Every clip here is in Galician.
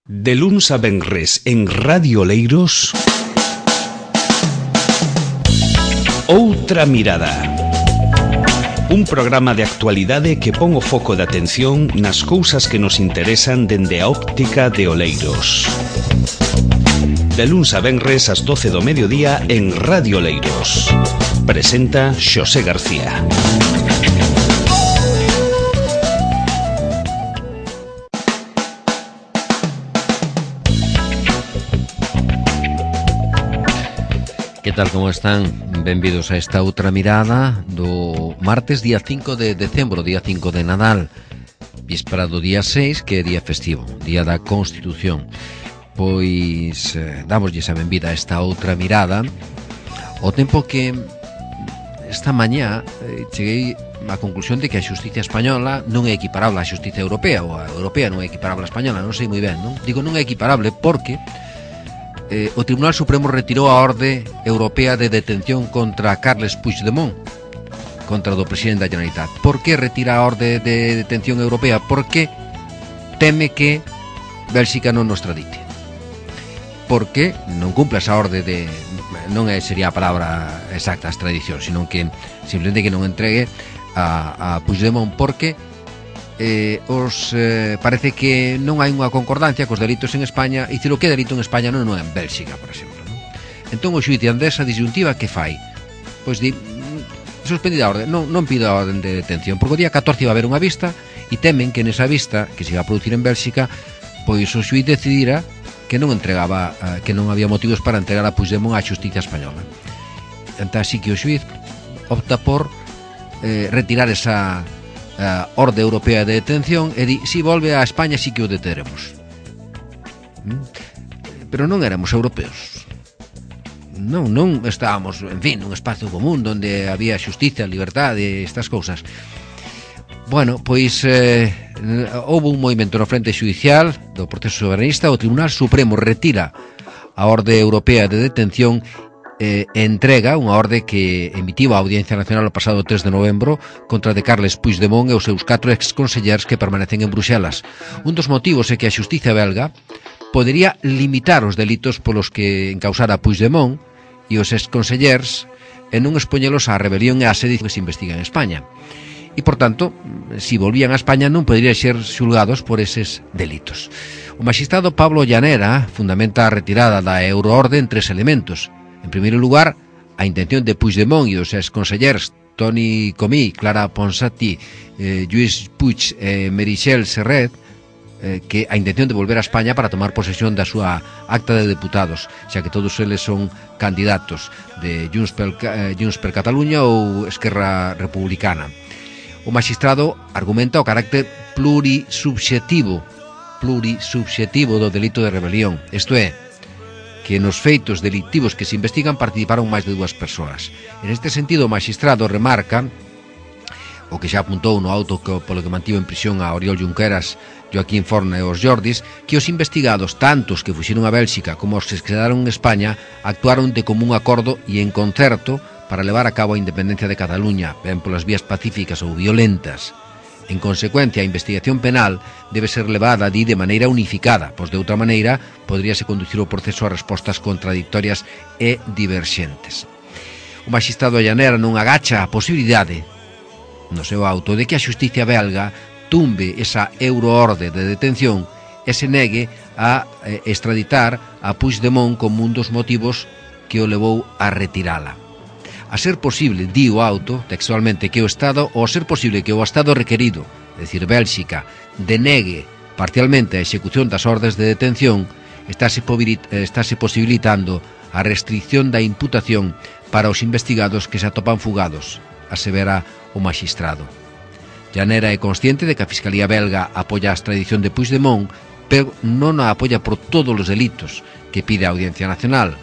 De luns a venres en Radio Oleiros, Outra Mirada. Un programa de actualidade que pon o foco de atención nas cousas que nos interesan dende a óptica de Oleiros. De luns a venres ás 12 do mediodía en Radio Oleiros. Presenta Xosé García. Que tal, como están? Benvidos a esta outra mirada do martes día 5 de decembro, día 5 de Nadal, víspera do día 6, que é día festivo, día da Constitución. Pois damoslle a benvida a esta outra mirada, ao tempo que esta mañá cheguei á conclusión de que a xustiza española non é equiparable á xustiza europea, ou a europea non é equiparable á española, non sei moi ben, non? Digo non é equiparable porque o Tribunal Supremo retirou a orde europea de detención contra Carles Puigdemont, contra o do presidente da Generalitat. Por que retira a orde de detención europea? Porque teme que Bélxica non nos tradite. Porque non cumpla esa orde de... non sería a palabra exacta, extradición, sino que simplemente que non entregue a Puigdemont, porque parece que non hai unha concordancia cos delitos en España, e dicir o que é delito en España non é en Bélxica, por exemplo, non? Entón o xuíz andesa disyuntiva que fai? Pois di, suspendida a orde, non pido a orden de detención, porque o día 14 va a haber unha vista e temen que nesa vista, que se va a producir en Bélxica, pois o xuíz decidira que non entregaba, que non había motivos para entregar a Puigdemont á xustiza española. Entón así que o xuíz opta por retirar esa orde europea de detención e di, si volve a España sí que o deteremos. Pero non éramos europeos, non estábamos, en fin, nun espacio común onde había xustiza, liberdade, estas cousas. Bueno, pois houve un movimento no frente judicial do proceso soberanista. O Tribunal Supremo retira a orde europea de detención, entrega unha orde que emitiu a Audiencia Nacional o pasado 3 de novembro contra de Carles Puigdemont e os seus 4 exconsellers que permanecen en Bruxelas. Un dos motivos é que a xustiza belga podería limitar os delitos polos que encausara Puigdemont e os exconsellers e non expoñelos á rebelión e á sedición que se investiga en España. E, por tanto, si volvían a España non poderían ser xulgados por eses delitos. O magistrado Pablo Llanera fundamenta a retirada da euroorde en 3 elementos. En primeiro lugar, a intención de Puigdemont e os exconsellers Toni Comí, Clara Ponsati, Lluís Puig e Meritxell Serret, que a intención de volver a España para tomar posesión da súa acta de deputados, xa que todos eles son candidatos de Junts per Catalunya ou Esquerra Republicana. O magistrado argumenta o carácter plurisubxetivo do delito de rebelión, isto é, que nos feitos delictivos que se investigan participaron máis de 2 persoas. En este sentido, o magistrado remarca o que xa apuntou no auto polo que mantivo en prisión a Oriol Junqueras, Joaquín Forna e os Jordis, que os investigados, tanto os que fuxeron a Bélxica como os que se quedaron en España, actuaron de común acordo e en concerto para levar a cabo a independencia de Cataluña, ben polas vías pacíficas ou violentas. En consecuencia, a investigación penal debe ser levada de maneira unificada, pois de outra maneira poderíase conducir o proceso a respostas contradictorias e diverxentes. O magistrado Llanera non agacha a posibilidade, no seu auto, de que a xustiza belga tumbe esa euroorde de detención e se negue a extraditar a Puigdemont como un dos motivos que o levou a retirala. A ser posible, di o auto, textualmente, que o Estado, ou a ser posible que o Estado requerido, é dicir, Bélxica, denegue parcialmente a execución das ordes de detención, estáse posibilitando a restricción da imputación para os investigados que se atopan fugados, asevera o magistrado. Llanera é consciente de que a Fiscalía belga apoia a extradición de Puigdemont, pero non a apoia por todos os delitos que pide a Audiencia Nacional.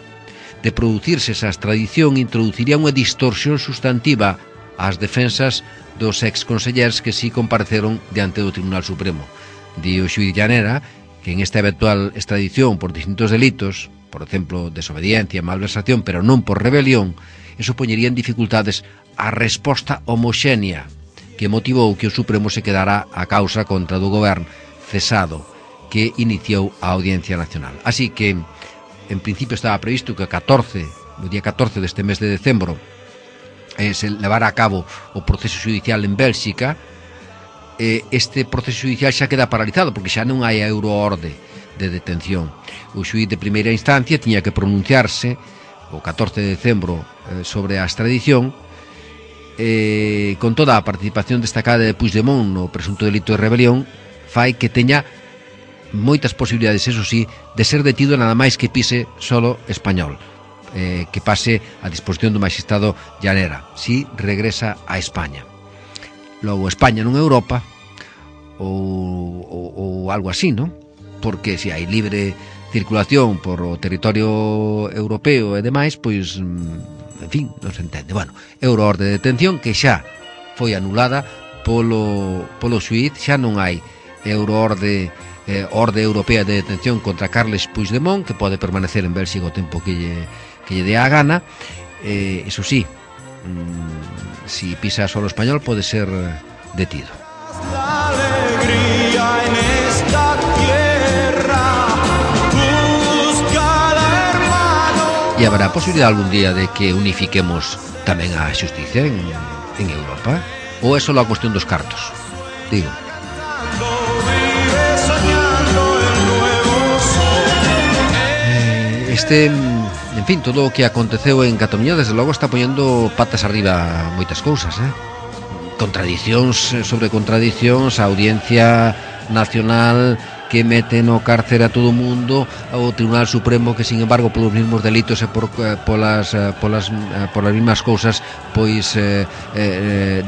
De producirse esa extradición, introduciría unha distorsión sustantiva ás defensas dos exconsellers que si compareceron diante do Tribunal Supremo. Di o xuíz Llanera que en esta eventual extradición por distintos delitos, por exemplo, desobediencia, malversación, pero non por rebelión, eso poñería en dificultades a resposta homoxénea que motivou que o Supremo se quedara a causa contra do goberno cesado que iniciou a Audiencia Nacional. Así que, en principio, estaba previsto que o día 14 deste mes de decembro se levara a cabo o proceso judicial en Bélxica. Este proceso judicial xa queda paralizado porque xa non hai a euroorde de detención. O xuíz de primeira instancia tiña que pronunciarse o 14 de decembro sobre a extradición, con toda a participación destacada de Puigdemont no presunto delito de rebelión, fai que teña moitas posibilidades, eso sí, de ser detido nada máis que pise solo español, que pase a disposición do magistrado Llanera si regresa a España. Logo España non é Europa ou algo así, non? Porque se hai libre circulación por o territorio europeo e demais, pois, en fin, non se entende. Bueno, euroorde de detención que xa foi anulada polo xuíz, xa non hai euroorde orde europea de detención contra Carles Puigdemont, que pode permanecer en Bélxica o tempo que lle dé a gana. Eso sí, si pisa solo español pode ser detido. E habrá posibilidad algún día de que unifiquemos tamén a xusticia en Europa? Ou é só a cuestión dos cartos? Digo. En fin, todo o que aconteceu en Cataluña desde logo está poñendo patas arriba moitas cousas, contradicións sobre contradicións, a Audiencia Nacional que mete no cárcere a todo o mundo, ao Tribunal Supremo que, sin embargo, polos mesmos delitos e polas mesmas cousas, pois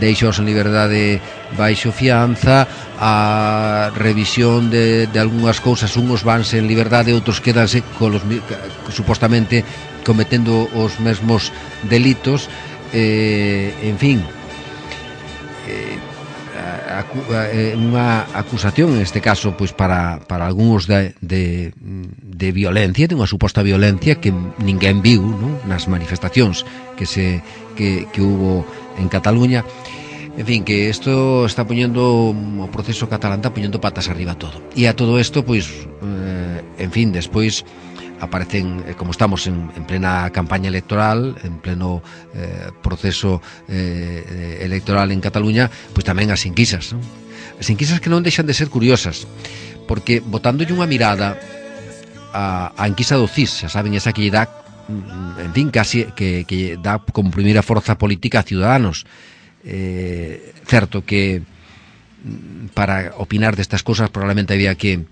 deixaos en liberdade baixo fianza, a revisión de algunhas cousas, unhos vanse en liberdade, outros quedanse supostamente cometendo os mesmos delitos, en fin, unha acusación en este caso pois para algúns de violencia, de unha suposta violencia que ninguén viu, non? Nas manifestacións que hubo en Cataluña. En fin, que isto está poñendo o proceso catalán, está poñendo patas arriba todo. E a todo isto, pois, en fin, despois aparecen, como estamos en plena campaña electoral, en pleno proceso electoral en Cataluña, pois tamén as enquisas, non? As enquisas que non deixan de ser curiosas, porque botándolle unha mirada a enquisa do CIS, xa saben, esa que lle dá, en fin, casi que dá como primeira forza política a Ciudadanos. Certo que para opinar destas cousas probablemente había que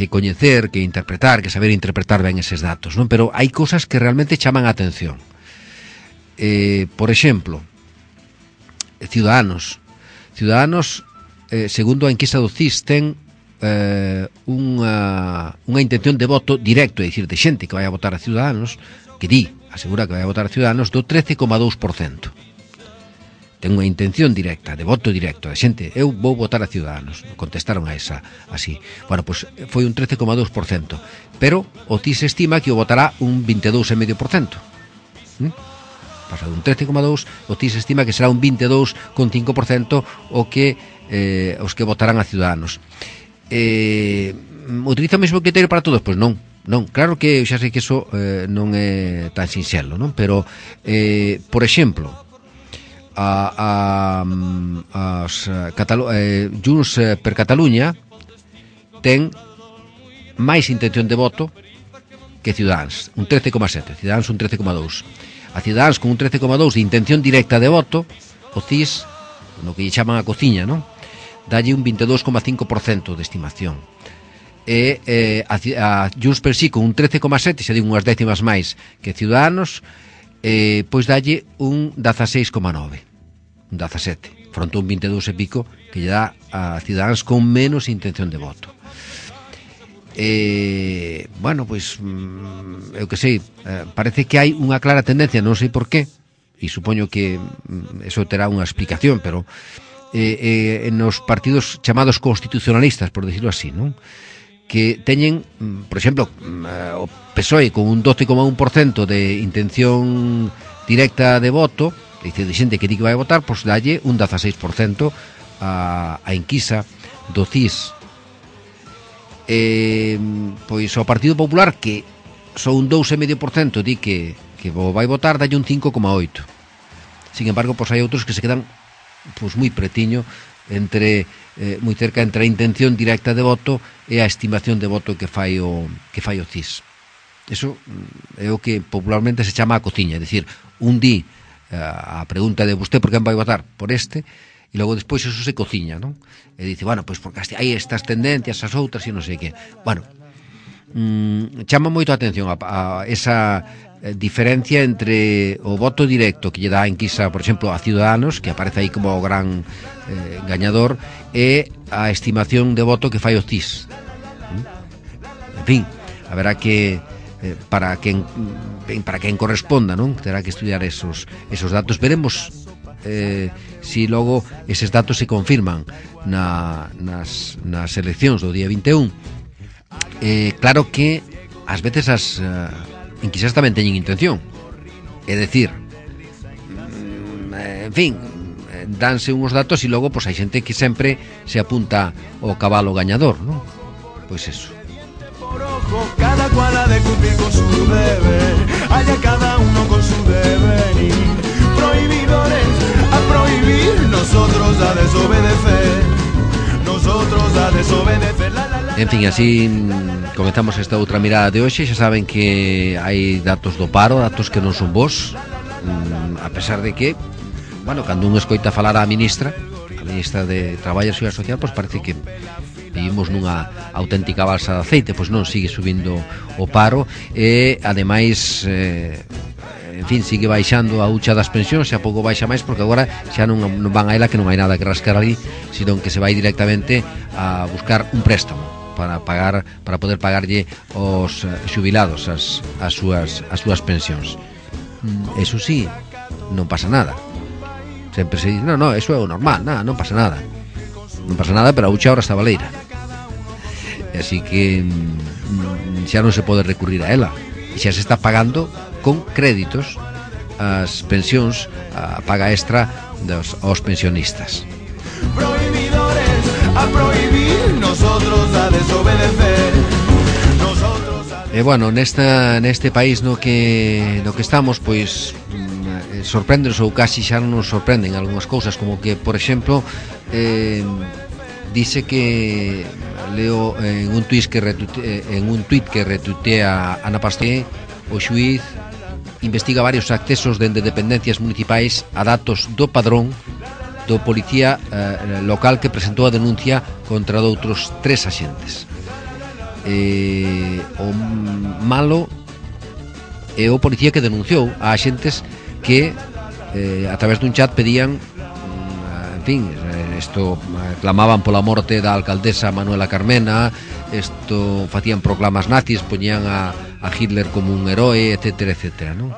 coñecer, que interpretar, que saber interpretar ben eses datos, non? Pero hai cousas que realmente chaman a atención. Por exemplo, Ciudadanos, segundo a enquisa do CIS, ten unha intención de voto directo, é dicir, de xente que vai a votar a Ciudadanos, que asegura que vai a votar a Ciudadanos, do 13,2%. Ten unha intención directa, de voto directo, de xente, eu vou votar a Ciudadanos. Contestaron a esa así. Bueno, pois foi un 13,2%, pero o CIS estima que o votará un 22,5%. Pasa de un 13,2%, o CIS estima que será un 22,5% os que votarán a Ciudadanos. Utiliza o mesmo criterio para todos? Pois non. Claro que xa sei que iso non é tan sinxelo, non? Pero, por exemplo, Junts per Catalunya ten máis intención de voto que Ciudadanos, un 13,7%, Ciudadanos un 13,2%. A Ciudadanos con un 13,2% de intención directa de voto, o CIS, no que lle chaman a cociña, non? Dalle un 22,5% de estimación. E a Junts per Sí con un 13,7%, xa digo unhas décimas máis que Ciudadanos, pois dalle un 16,9%. Un 17, fronte a un 22 e pico que lle dá a Ciudadanos con menos intención de voto. Bueno, pois eu que sei, parece que hai unha clara tendencia, non sei por qué, e supoño que eso terá unha explicación, pero nos partidos chamados constitucionalistas, por decirlo así, non? Que teñen, por exemplo, o PSOE con un 12,1% de intención directa de voto, dice de xente que di que vai votar, pois dalle un 16% a enquisa do CIS. pois o Partido Popular, que só un 2,5% di que vai votar, dalle un 5,8. Sin embargo, pois hai outros que se quedan pois moi pretiño moi cerca entre a intención directa de voto e a estimación de voto que fai o CIS. Eso é o que popularmente se chama a cociña, é dicir, un di a pregunta de vostede por quen vai votar, por este, e logo despois eso se cociña, non? E dice, bueno, pois porque hai estas tendencias, as outras e non sei que. Bueno, chama moito a atención a esa diferencia entre o voto directo que lle dá a enquisa, por exemplo, a Ciudadanos, que aparece aí como o gran gañador, e a estimación de voto que fai o CIS. En fin, haberá que para quen corresponda, non? Terá que estudiar esos datos. Veremos si logo eses datos se confirman nas eleccións do día 21. Claro que ás veces as enquisas tamén teñen intención, é dicir, en fin, danse uns datos e logo pois hai xente que sempre se apunta ao cabalo gañador, non? Pois eso. Cada cual ha de cumplir con su deber, haya cada uno con su deber, y prohibidores a prohibir, nosotros a desobedecer, nosotros a desobedecer. En fin, así comenzamos esta outra mirada de hoxe. Xa saben que hai datos do paro, datos que non son bons, a pesar de que, bueno, cando un escoita falar a ministra de Traballo e Seguridade Social, pois parece que vivimos nunha auténtica balsa de aceite. Pois non, sigue subindo o paro e, ademais, en fin, sigue baixando a hucha das pensións, xa pouco baixa máis, porque agora xa non van a ela, que non hai nada que rascar ali, sino que se vai directamente a buscar un préstamo para poder pagarlle aos xubilados as súas pensións. Eso sí, non pasa nada. Sempre se dice, no, eso é o normal, non pasa nada. Non pasa nada, pero a hucha ahora está baleira. Así que xa non se pode recurrir a ela. E xa se está pagando con créditos as pensións, a paga extra aos pensionistas. Prohibidores a prohibir, nosotros a desobedecer, nosotros a... E bueno, neste país no que estamos, pois sorprendenos, ou casi xa non nos sorprenden algunhas cousas, como que, por exemplo, dice que leo en un tuit que retuitea Ana Pastor, o xuíz investiga varios accesos dende dependencias municipais a datos do padrón do policía local que presentou a denuncia contra doutros 3 axentes. O malo é o policía que denunciou a axentes que a través dun chat pedían, en fin, isto clamaban pola morte da alcaldesa Manuela Carmena, isto facían proclamas nazis, poñían a Hitler como un heroe, etcétera, etcétera, non?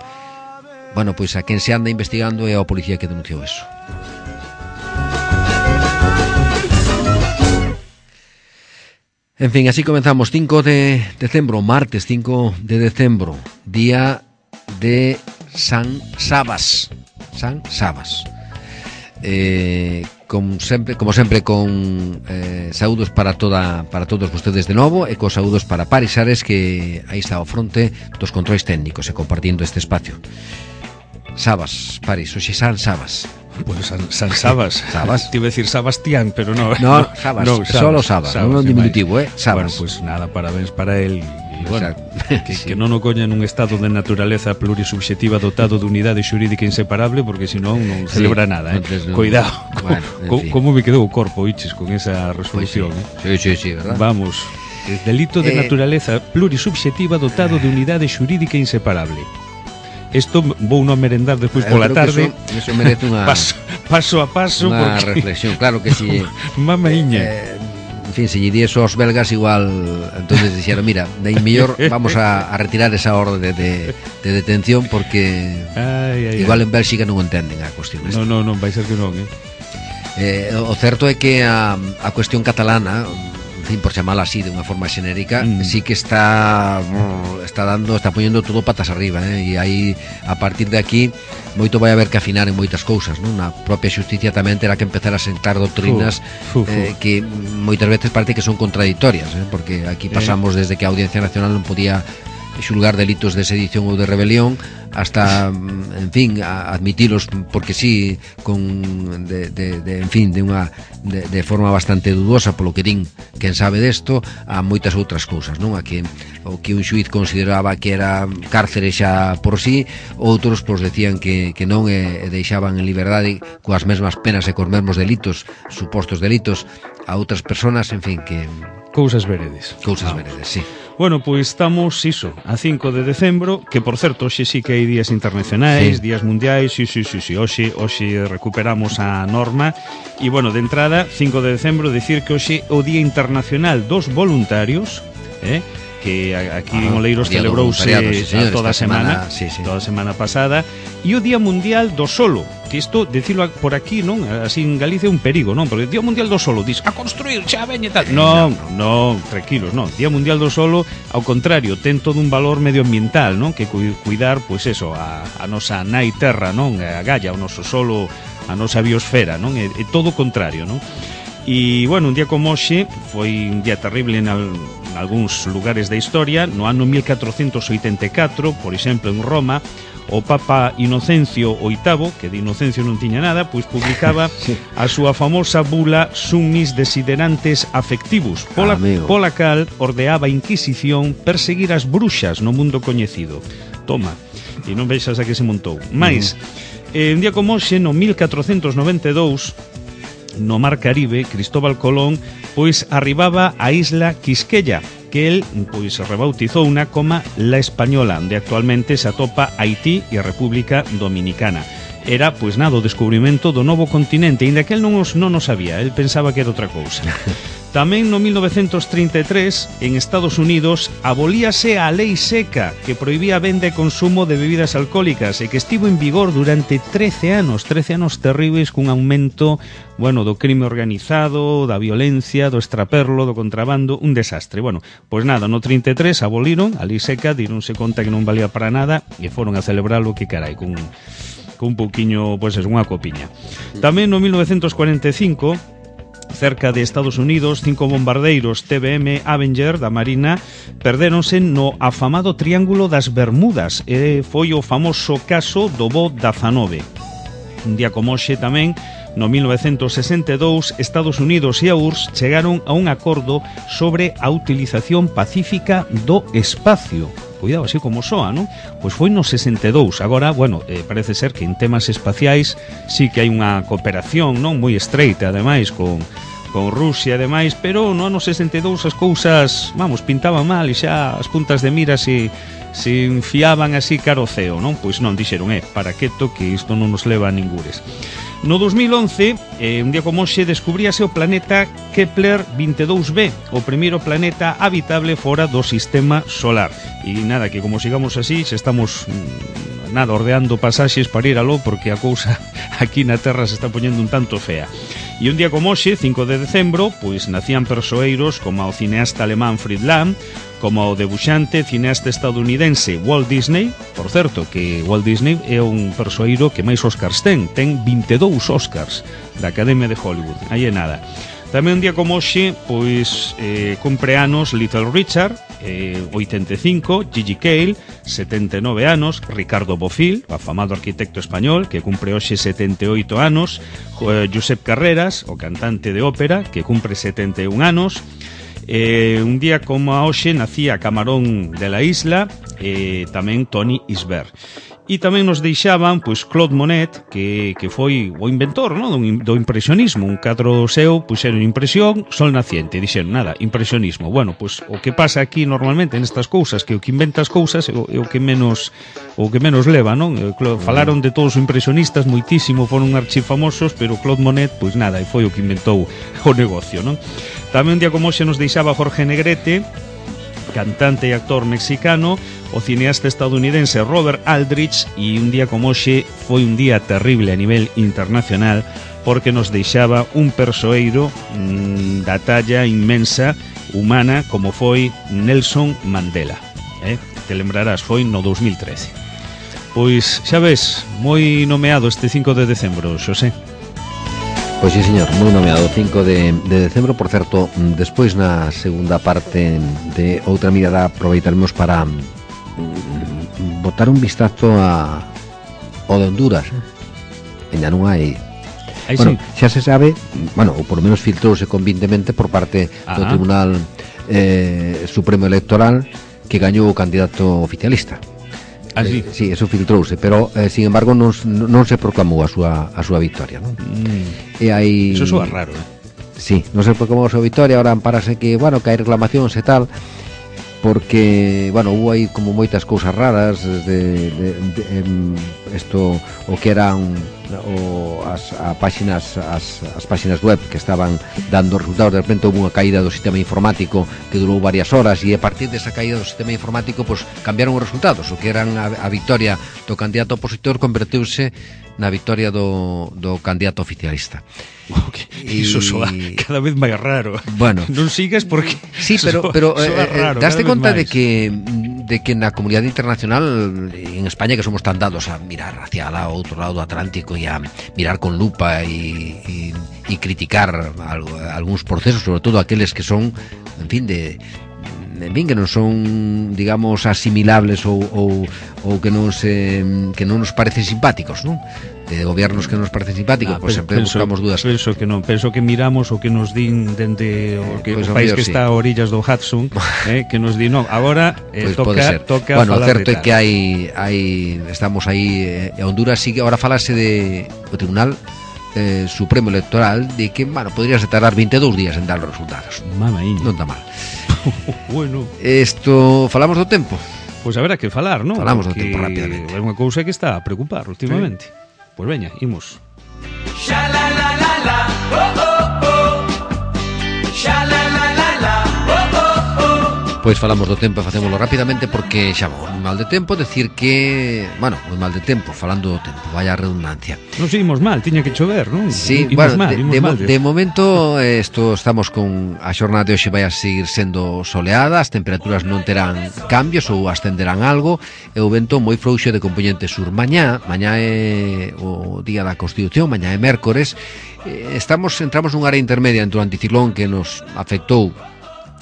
Bueno, pois a quen se anda investigando é o policía que denunciou eso. En fin, así comenzamos 5 de decembro, martes 5 de decembro, día de San Sabas. San Sabas. Como sempre con saúdos para todos vostedes de novo, e cos saúdos para Paris Ares, que aí está ao fronte dos controis técnicos e compartindo este espacio. Sabas, Paris, hoxe San Sabas. Pues San Sabas. Sabas. Te iba a decir Sebastián, pero no. No, Sabas, solo Sabas, non é un diminutivo, Sabas. Bueno, pues nada, parabéns para él. Y bueno, que non o coña nun estado de naturaleza plurisubxetiva dotado de unidade xurídica inseparable, porque senón non celebra nada, no, Cuidado. Bueno, como me quedou o corpo, iches, con esa resolución, pues sí, verdad? Vamos. Delito de naturaleza plurisubxetiva dotado de unidade xurídica inseparable. Isto vou non merendar despois pola tarde. Eso merece unha paso a paso, unha reflexión, claro que si mamaíña. En fin, se lle diese aos belgas igual, entonces dixeron, mira, de mellor vamos a retirar esa orde de detención, porque igual en Bélxica non entenden a cuestión esta. Non, vai ser que non, O certo é que a cuestión catalana, en fin, por chamala así de unha forma xenérica, sí que está poñendo todo patas arriba, e aí, a partir de aquí, moito vai haber que afinar en moitas cousas, non? Na propia xusticia tamén terá que empezar a sentar doutrinas que moitas veces parece que son contradictorias, porque aquí pasamos desde que a Audiencia Nacional non podía xulgar delitos de sedición ou de rebelión hasta, en fin, a admitilos porque sí, de forma bastante dudosa, polo que din quen sabe desto, a moitas outras cousas, non? A que o que un xuiz consideraba que era cárcere xa por sí, outros pois decían que non, e deixaban en liberdade coas mesmas penas e cos mesmos delitos, supostos delitos, a outras persoas, en fin, que cousas veredes. Cousas veredes, sí. Bueno, pois estamos, iso, a 5 de decembro, que por certo, hoxe sí que hai días internacionais, días mundiais, sí, hoxe recuperamos a norma. E, bueno, de entrada, 5 de decembro, decir que hoxe o Día Internacional dos Voluntarios, que aquí en Oleiros celebrouse toda a semana, toda a semana pasada, e o Día Mundial do Solo, que isto, decirlo por aquí, non? Así en Galicia é un perigo, non? Porque o Día Mundial do Solo, dis, a construir, xa veñe tal. Non, tranquilos, non. Día Mundial do Solo, ao contrario, ten todo un valor medioambiental, non? Que cuidar, pois eso, a nosa nai terra, non? A Gaia, o noso solo, a nosa biosfera, non? É todo o contrario, non? E, bueno, un día como hoxe foi un día terrible en algúns lugares da historia. No ano 1484, por exemplo, en Roma, o Papa Inocencio VIII, que de Inocencio non tiña nada, pois publicaba a súa famosa bula Summis Desiderantes Affectivus, pola cal ordeaba a Inquisición perseguir as bruxas no mundo coñecido. Toma, e non vexas a que se montou. Mais, un día como hoxe, no 1492, no Mar Caribe, Cristóbal Colón pois arribaba á isla Quisqueya, que el pois rebautizouna como La Española, onde actualmente se atopa Haití e a República Dominicana. Era, pois nada, o descubrimento do novo continente, ainda que el non o sabía, el pensaba que era outra cousa. Tamén no 1933, en Estados Unidos, abolíase a lei seca que prohibía a venda e consumo de bebidas alcohólicas e que estivo en vigor durante 13 anos terribles, cun aumento, bueno, do crime organizado, da violencia, do extraperlo, do contrabando, un desastre. Bueno, pois nada, no 33 aboliron a lei seca, dironse conta que non valía para nada e foron a celebralo, que carai, cun pouquiño, pois é, unha copiña. Tamén no 1945, cerca de Estados Unidos, 5 bombardeiros TBM Avenger da Marina perdéronse no afamado Triángulo das Bermudas, e foi o famoso caso do Bo 19. Un día como hoxe tamén, no 1962, Estados Unidos e a URSS chegaron a un acordo sobre a utilización pacífica do espacio. Cuidado, así como soa, non? Pois foi no 62. Agora, bueno, parece ser que en temas espaciais sí que hai unha cooperación, non? Moi estreita, ademais, con Rusia e demais, pero no ano 62 as cousas, vamos, pintaban mal e xa as puntas de mira se enfiaban así caro ceo, non? Pois non, dixeron, para quieto, que isto non nos leva a ningures. No 2011, un día como hoxe, descubríase o planeta Kepler 22b, o primeiro planeta habitable fora do sistema solar. E nada, que como sigamos así, se estamos ordeando pasaxes para ir aló, porque a cousa aquí na Terra se está poñendo un tanto fea. E un día como hoxe, 5 de decembro, pois nacían persoeiros como o cineasta alemán Fritz Lang, como o debuxante cineasta estadounidense Walt Disney. Por certo, que Walt Disney é un persoeiro que máis Oscars ten 22 Oscars da Academia de Hollywood, aí é nada. Tamén un día como hoxe, pois cumpre anos Little Richard, 85, Gigi Cale, 79 anos, Ricardo Bofill, afamado arquitecto español, que cumpre hoxe 78 anos, Josep Carreras, o cantante de ópera, que cumpre 71 anos. Un día como hoxe nacía Camarón de la Isla, tamén Tony Isbert. E tamén nos deixaban, pois, Claude Monet, que foi o inventor, no, do impresionismo. Un cadro seu, puxeron impresión, sol naciente, dixeron, nada, impresionismo. Bueno, pois, o que pasa aquí normalmente nestas cousas, que o que inventa as cousas é o que menos leva, non? Falaron de todos os impresionistas moitísimo, foron archifamosos, pero Claude Monet, pois nada, e foi o que inventou o negocio, non? Tamén un día como hoxe nos deixaba Jorge Negrete, cantante e actor mexicano, o cineasta estadounidense Robert Aldrich, e un día como hoxe foi un día terrible a nivel internacional, porque nos deixaba un persoeiro da talla inmensa humana como foi Nelson Mandela. Te lembrarás, foi no 2013. Pois, xa ves, moi nomeado este 5 de decembro, Xosé. Pois sí, señor, moi nomeado 5 de decembro. Por certo, despois na segunda parte de Outra Mirada aproveitaremos para botar un vistazo ao de Honduras. Ainda non hai. Bueno, xa se sabe, bueno, ou por lo menos filtrouse convintemente por parte do Tribunal Supremo Electoral, que gañou o candidato oficialista. Sí, eso filtrouse, pero sin embargo non se proclamou a súa victoria, non? E hai... Eso soa raro, Sí, non se proclamou a súa victoria, ahora amparase que, bueno, que hai reclamacións e tal, porque, bueno, hubo aí como moitas cousas raras isto, o que eran as páxinas web que estaban dando resultados. De repente houve unha caída do sistema informático que durou varias horas, e a partir desa caída do sistema informático pues, cambiaron os resultados. O que eran a victoria do candidato opositor converteuse na victoria do candidato oficialista. Iso soa cada vez máis raro. Bueno, non sigas porque sí, pero daste conta de que na comunidade internacional en España, que somos tan dados a mirar hacia o outro lado do Atlántico e a mirar con lupa e criticar algúns procesos, sobre todo aqueles que son, en fin, que non son, digamos, asimilables ou que non nos parecen simpáticos, non? De gobiernos que nos parecen simpáticos, pois sempre buscamos dudas. Penso que miramos o que nos din dende o país que está a orillas do Hudson, que nos di, non, agora toca bueno, falar. O certo é que estamos aí, Honduras sigue, agora falase do Tribunal Supremo Electoral, de que, bueno, podríase tardar 22 días en dar os resultados. Mamaíña. Non está mal. Bueno. Falamos do tempo. Pois haberá que falar, non? Falamos do tempo rapidamente. É unha cousa que está a preocupar últimamente. Pois veña, imos. Xa la la la la, oh oh oh. Xa la la la la, oh oh oh. Pois falamos do tempo e facémolo rapidamente porque xa moi mal de tempo. Decir que, bueno, moi mal de tempo, falando do tempo, vaya redundancia. Non seguimos mal, tiña que chover, non? Sí, imos bueno, mal, de momento estamos con a xornada de hoxe vai a seguir sendo soleada, as temperaturas non terán cambios ou ascenderán algo, e o vento moi frouxo de componente sur. Mañá é o día da Constitución, mañá é mércores. Entramos nun área intermedia entre o anticiclón que nos afectou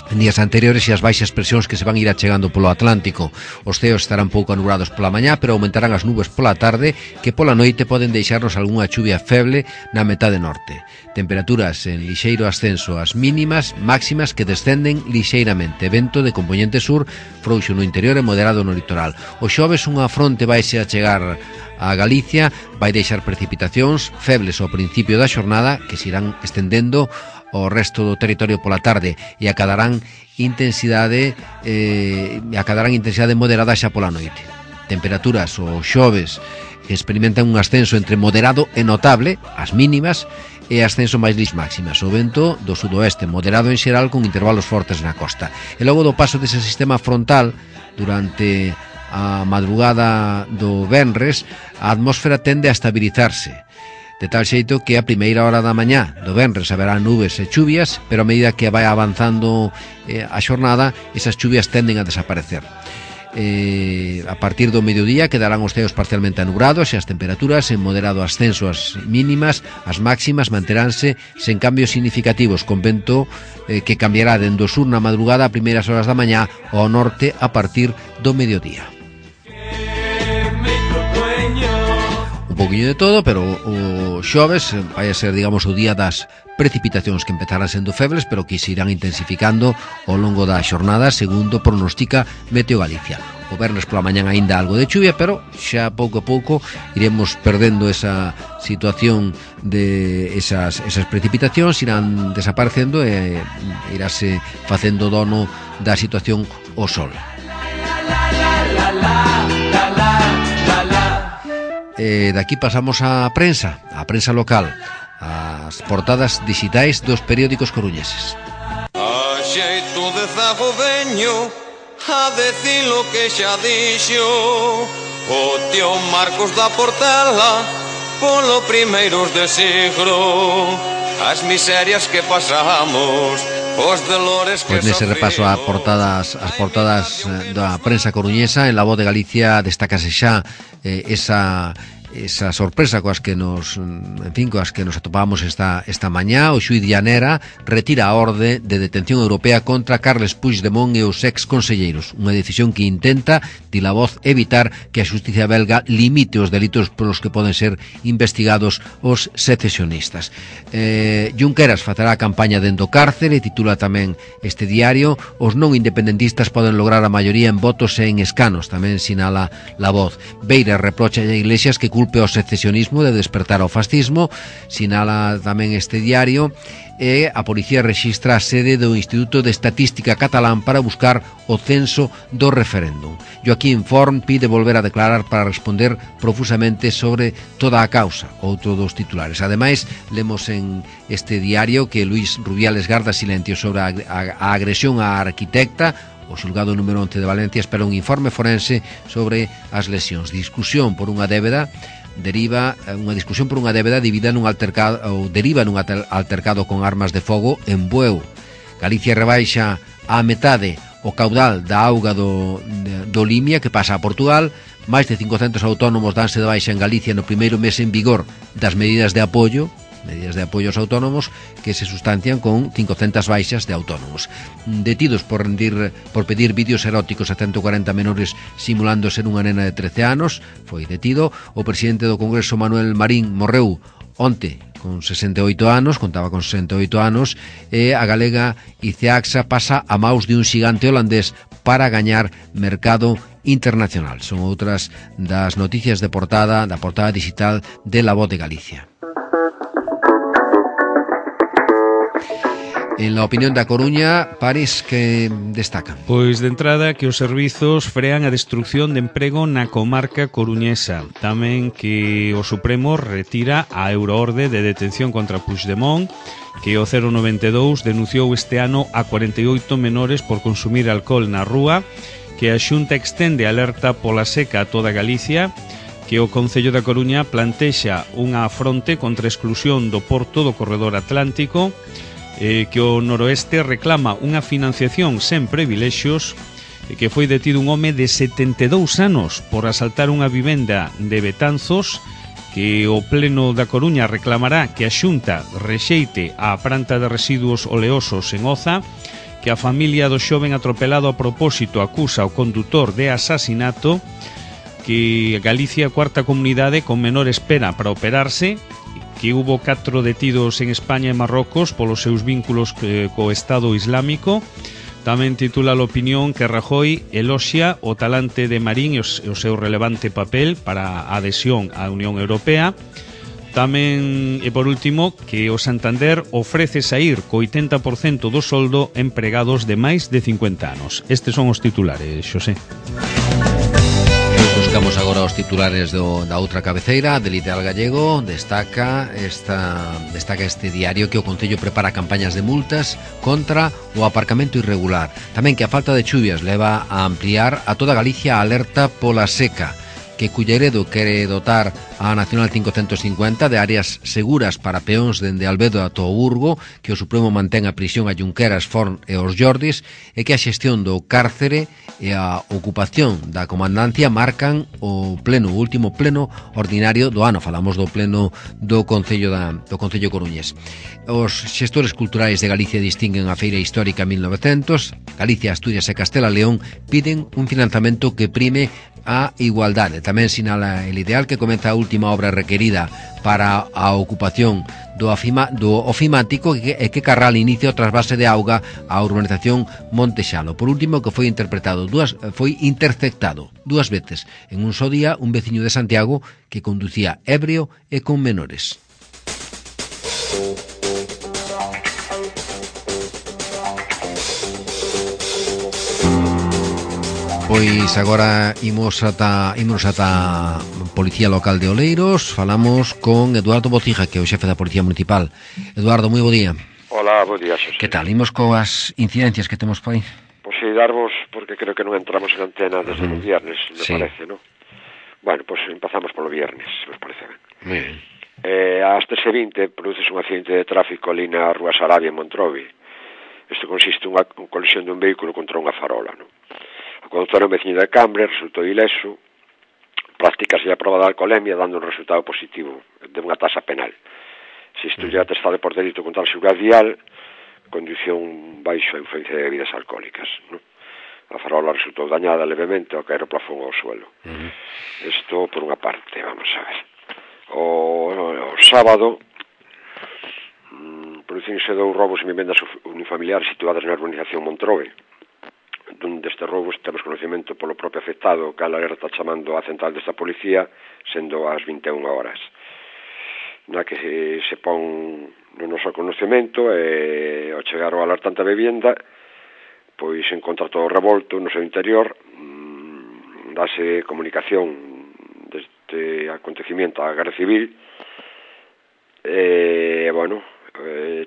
en días anteriores e as baixas presións que se van ir achegando polo Atlántico. Os ceos estarán pouco anubrados pola mañá, pero aumentarán as nubes pola tarde, que pola noite poden deixarnos algunha chuvia feble na metade norte. Temperaturas en lixeiro ascenso, as mínimas, máximas que descenden lixeiramente. Vento de componente sur, frouxo no interior e moderado no litoral. O xoves unha fronte vaise a chegar a Galicia, vai deixar precipitacións febles ao principio da xornada que se irán estendendo o resto do territorio pola tarde e acadarán intensidade moderada xa pola noite. Temperaturas o xoves que experimentan un ascenso entre moderado e notable, as mínimas, e ascenso máis lis máximas. O vento do sudoeste moderado en xeral con intervalos fortes na costa. E logo do paso dese sistema frontal durante a madrugada do venres, a atmósfera tende a estabilizarse, de tal xeito que a primeira hora da mañá do venres haberá nubes e chuvias, pero a medida que vai avanzando a xornada, esas chuvias tenden a desaparecer. A partir do mediodía quedarán os ceos parcialmente anubrados e as temperaturas en moderado ascenso, as mínimas, as máximas manteránse sen cambios significativos, con vento que cambiará dende o sur na madrugada a primeiras horas da mañá ao norte a partir do mediodía. Pouquiño de todo, pero o xoves vai a ser, digamos, o día das precipitacións que empezarán sendo febles, pero que se irán intensificando ao longo da xornada, segundo pronostica Meteo Galicia. O vernes pola mañán aínda algo de chuvia, pero xa pouco a pouco iremos perdendo esa situación de esas precipitacións, irán desaparecendo e irase facendo dono da situación o sol. De aquí pasamos á prensa local, as portadas digitais dos periódicos coruñeses. A xeito de zago veño a decir lo que xa dixo o tío Marcos da Portela, polo primeiros de siglo, as miserias que pasamos, os dolores que Pois nese repaso as portadas da prensa coruñesa, en La Voz de Galicia destácase xa esa sorpresa coas que nos atopamos esta mañá. O xuíz Llanera retira a orde de detención europea contra Carles Puigdemont e os ex conselleiros, unha decisión que intenta, di La Voz, evitar que a xusticia belga limite os delitos polos que poden ser investigados os secesionistas. Junqueras facerá a campaña dentro do cárcere, titula tamén este diario. Os non independentistas poden lograr a maioría en votos e en escanos, tamén sinala La Voz. Beira reprocha a Iglesias que culpe ao secesionismo de despertar ao fascismo, sinala tamén este diario. E a policía rexistra a sede do Instituto de Estatística Catalán para buscar o censo do referéndum. Joaquín Forn pide volver a declarar para responder profusamente sobre toda a causa, outro dos titulares. Ademais, lemos en este diario que Luis Rubiales garda silencio sobre a agresión á arquitecta. O xulgado número 11 de Valencia espera un informe forense sobre as lesións. Discusión por unha débeda deriva deriva nun altercado con armas de fogo en Bueu. Galicia rebaixa á metade o caudal da auga do Limia que pasa a Portugal. Máis de 500 autónomos danse de baixa en Galicia no primeiro mes en vigor das medidas de apoio aos autónomos, que se sustancian con 500 baixas de autónomos. Detidos por pedir vídeos eróticos a 140 menores simulando ser unha nena de 13 anos, foi detido. O presidente do Congreso, Manuel Marín, morreu onte con 68 anos, contaba con 68 anos, e a galega Iceaxa pasa a maus de un xigante holandés para gañar mercado internacional. Son outras das noticias de portada, da portada digital de La Voz de Galicia. En la opinión da Coruña, París, que destacan? Pois de entrada que os servizos frean a destrucción de emprego na comarca coruñesa. Tamén que o Supremo retira a euroorde de detención contra Puigdemont, que o 092 denunciou este ano a 48 menores por consumir alcohol na rúa, que a Xunta extende alerta pola seca a toda Galicia, que o Concello da Coruña plantexa unha fronte contra a exclusión do porto do corredor atlántico, que o noroeste reclama unha financiación sen privilexios, que foi detido un home de 72 anos por asaltar unha vivenda de Betanzos, que o Pleno da Coruña reclamará que a Xunta rexeite a planta de residuos oleosos en Oza, que a familia do xoven atropelado a propósito acusa o condutor de asasinato, que Galicia, cuarta comunidade con menor espera para operarse, que hubo 4 detidos en España e Marrocos polos seus vínculos co Estado Islámico. Tamén titula a opinión que Rajoy eloxia o talante de Marín e o seu relevante papel para a adhesión á Unión Europea. Tamén, e por último, que o Santander ofrece saír co 80% do soldo empregados de máis de 50 anos. Estes son os titulares, Xosé. Buscamos agora os titulares da outra cabeceira. Del Ideal Gallego destaca este diario que o Concello prepara campañas de multas contra o aparcamento irregular. Tamén que a falta de chuvias leva a ampliar a toda Galicia a alerta pola seca, que Culleredo quere dotar a Nacional 550 de áreas seguras para peóns dende Albedo a Burgo, que o Supremo mantén a prisión a Junqueras, Forn e os Jordis, e que a xestión do cárcere e a ocupación da comandancia marcan o último pleno ordinario do ano. Falamos do pleno do Concello Coruñés. Os xestores culturais de Galicia distinguen a Feira Histórica 1900. Galicia, Asturias e Castela León piden un financiamento que prime a igualdade. Tamén sinala el Ideal que comeza a última obra requerida para a ocupación do ofimático e que Carral inicia o trasvase de auga á urbanización Montexalo. Por último, que foi interceptado dúas veces en un só día un veciño de Santiago que conducía ebrio e con menores. Pois agora imos ata Policía Local de Oleiros. Falamos con Eduardo Bocija, que é o xefe da Policía Municipal. Eduardo, moi bo día. Hola, bo día, Xosé. Que tal? Imos coas incidencias que temos por aí? Pois sí, darvos, porque creo que non entramos en antena desde o viernes, me parece, ¿no? Bueno, pois empezamos polo viernes, se os parece ben. Muy ben. Ás 13:20 produces un accidente de tráfico ali na Rúa Sarabia en Montrovi. Isto consiste en unha colisión dun vehículo contra unha farola, non? O conductor é un veciño de Cambre, resultou ileso, prácticase a prova de alcoholemia dando un resultado positivo de unha tasa penal. Se isto lle atestado por delito contra a seguridade vial, condución baixo a influencia de bebidas alcohólicas, non? A farola resultou dañada levemente ao caer o plafón ao suelo. Isto por unha parte, vamos a ver. O sábado producínse 2 robos en vivendas unifamiliares situadas na urbanización Montrobe. Dun destes roubos temos conocimento polo propio afectado, que a alerta chamando á central desta policía, sendo as 21 horas. Na que se pon no noso conocimento e ao chegar ao alertante a vivenda, pois encontra todo revolto no seu interior, dase comunicación deste acontecimiento á Garda Civil, bueno,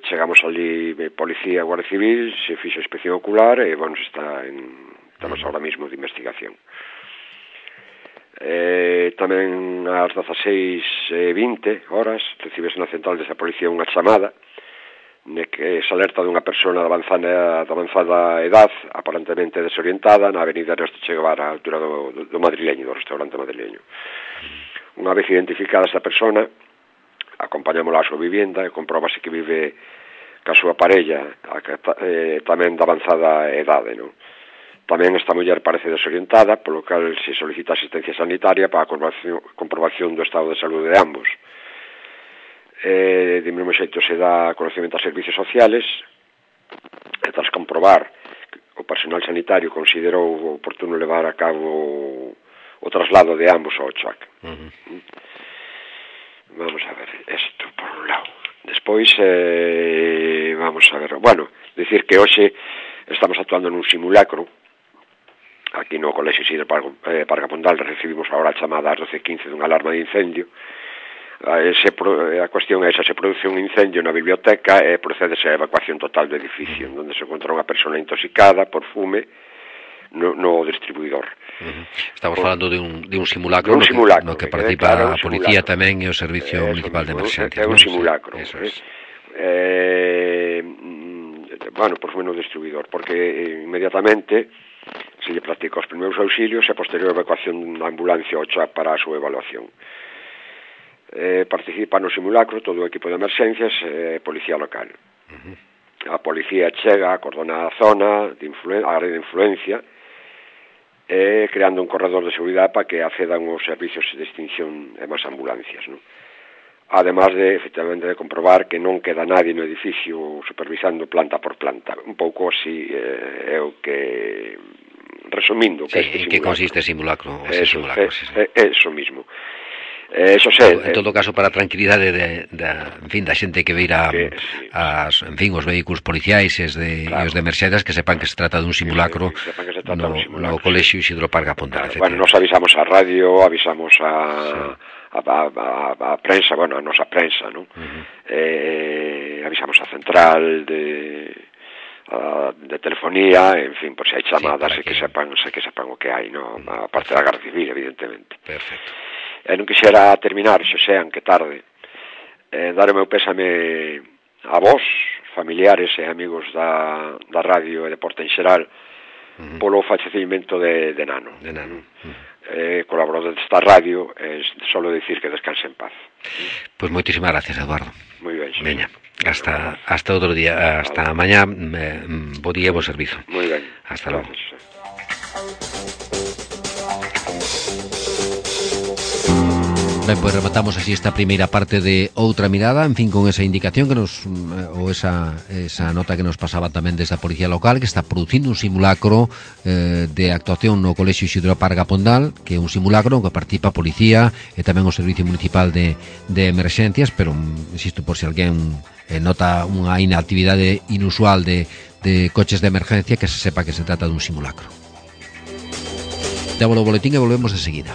chegamos ali policía, Guardia Civil, se fixo inspección ocular e, bueno, estamos ahora mismo de investigación. Tamén ás 16:20 horas recibes na central desa policía unha chamada que se alerta dunha persona de avanzada edad, aparentemente desorientada, na avenida Ernesto Che Guevara, a altura do madrileño, do restaurante madrileño. Unha vez identificada esta persona, acompañámola á súa vivienda e compróbase que vive ca súa parella, tamén de avanzada edade, non? Tamén esta muller parece desorientada, polo cal se solicita asistencia sanitaria para a comprobación do estado de saúde de ambos. De mesmo xeito se dá conocimento a servicios sociales e tras comprobar que o personal sanitario considerou oportuno levar a cabo o traslado de ambos ao CHOAC. Vamos a ver, isto por un lado. Despois, vamos a ver, bueno, decir que hoxe estamos actuando nun simulacro aquí no Colexio Isidro Pargapondal. Recibimos agora a chamada ás 12:15 dunha alarma de incendio. A cuestión é esa: se produce un incendio na biblioteca e procedese a evacuación total do edificio, onde se encontra unha persona intoxicada por fume no distribuidor. Estamos falando de un simulacro, no que participa a policía tamén e o Servicio Municipal de Emerxencias. É un simulacro. Bueno, por fume no distribuidor, porque inmediatamente se lle practica os primeiros auxilios e a posterior evacuación da ambulancia ao CHOAC para a súa evaluación. Participa no simulacro todo o equipo de emerxencias e policía local. A policía chega, acordona a zona, a área de influencia, creando un corredor de seguridade para que accedan os servicios de extinción e máis ambulancias, non? Además de, efectivamente, de comprobar que non queda nadie no edificio supervisando planta por planta. Un pouco así é o que, resumindo, que este simulacro. Que consiste o simulacro? Eso mismo. Eso sé, en todo caso, para a tranquilidade da xente que veira os vehículos policiais e os de emerxencias, que sepan que se trata dun simulacro no Colexio Isidro Pargapondal. Bueno, nos avisamos a radio, avisamos a prensa, bueno, a nosa prensa, non? Avisamos a central de telefonía, en fin, por se hai chamadas, que sepan o que hai, non? A parte da Garda Civil, evidentemente. Perfecto. Non quixera terminar, xo sean que tarde, dar o meu pésame a vos, familiares e amigos da radio e deporte en xeral, polo fallecimento de Nano. Colaborador desta radio, solo dicir que descanse en paz. Pois moitísimas gracias, Eduardo. Moi ben. Veña, hasta outro día, hasta mañá, bo día e bo servizo. Moi ben. Hasta logo. Ben, pois rematamos así esta primeira parte de Outra Mirada, en fin, con esa indicación que nos ou esa nota que nos pasaba tamén desde a Policía Local, que está producindo un simulacro de actuación no Colexio Isidro Pargapondal, que é un simulacro no que participa a Policía e tamén o Servicio Municipal de Emerxencias, pero, insisto, por se alguén nota unha inactividade inusual de coches de emergencia, que se sepa que se trata dun simulacro. Damos o boletín e volvemos de seguida.